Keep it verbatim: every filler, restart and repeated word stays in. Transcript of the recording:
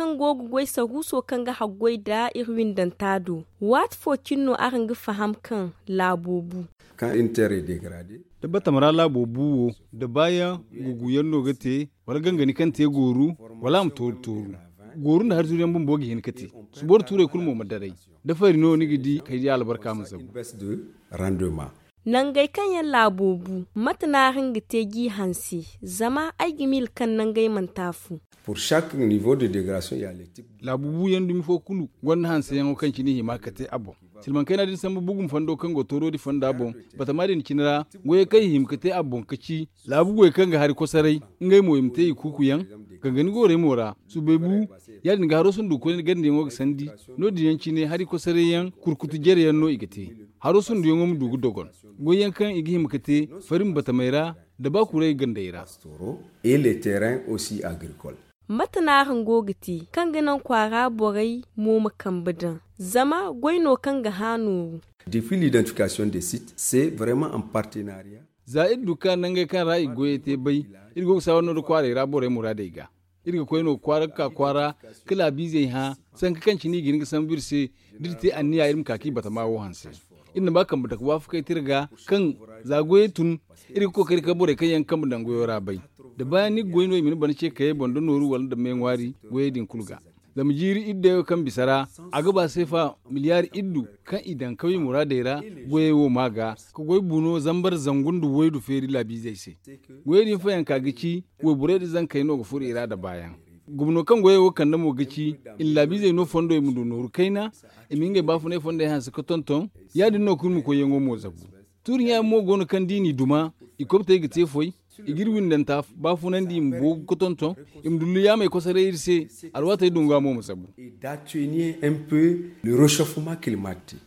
Kaŋ go ga goy saruuso kaŋ ga haggoy nda iri windanta do. Waati fo cine no araŋ ga faham kaŋ laabo bu. Kaŋ iri tere degrade. Da batama ra laabo bu wo, da baayaŋ guguyaŋ no ga te, wala gangani kaŋ te gooru, wala a ma tooru tooru. Gooru nda hari zuru yaŋ bumbo ga hin ga te. Suboro tuurey kulu mo ma daray. Da fari no ni ga di kay di albarka ma zabu. Nangey kaŋ yaŋ laabo bu, mate no araŋ ga te g'i hanse? Zama ay ga miila kaŋ nangey mana taafu. Pour chaque niveau de dégradation il y a les types. Laabu buuyaŋ dumi fo kulu gonda hanseyaŋo kaŋ cine i hima ga te a boŋ. Silmaŋ kayna din sambu bugum fondo kaŋ go tooro di fonda boŋ. Batama din cine ra, goyey kaŋ i hima ga te a boŋ ka ci laabu goy kaŋ ga hari kosaray, ngey mo i ma te i kuukuyaŋ. Gangani goorey mo ra, subay bu, ya- din ga haro sundu koyne gandiyaŋo ga sandi. No- din yaŋ cine hari kosaray yaŋ kurkutu jere yaŋ no i ga te. Haro sunduyaŋo ma du ga dogon. Goyyaŋ kaŋ i ga hima ga te, fari ma batamey ra, da ba kuray gandey ra. Et les terrains aussi agricoles. Mate no araŋ go ga te kaŋ ga naŋ kwaara borey mo ma kambe daŋ? Zama goy no kaŋ ga hã nooru. Défi l'identification des sites, c'est vraiment en partenariat. Za iri du ka nangey kaŋ ra i goyey te bay, iri go ga saawar no da kwaarey ra borey muraadey ga. Iri ga koy no kwaara ga ka kwaara, ka laabiizey hã, sanka kaŋ cine i ga hin ga sambu iri se. Da iri te anniya iri ma ka ka i batama wo hanse. Iri na ba kambe dake waafakey te iri ga, kaŋ za goyey tun, iri ga kookari ka borey kaŋ yaŋ kambe daŋ goyo ra bay. Da baayaŋ ni ga goy no i ma ni bana ce kayey boŋ da nooru wala nda me ŋwaari goyey din kulu ga. Zama jiiri iddeyo kaŋ bisa ra, a ga ba seefa miliyaari iddu kaŋ i daŋ kawye muraadey ra. Goyey wo ma ga ka goy buno zambar zangu nda waydu feeri laabiizey se. Goyey din fayanka ga ci, wayborey da zankey no ga furo i ra da baayaŋ. Gumno kaŋ goyey wo kande mo ga ci, i na laabiizey no fondo i ma du nooru kayna, i ma ngey baafunay fondey hanse ka tonton. Ya- din no kulu ma koyyaŋo mo zabu. Tuuri ɲa yaŋ mo go no kaŋ da i n'i duma, i kobtey ga te foy. I ga iri windanta baafunandi i ma boogu ka tonton. I ma dullu yaamey kosaray iri se. Alwaatey dunga mo ma zabu. Et d'atténuer un peu le réchauffement climatique.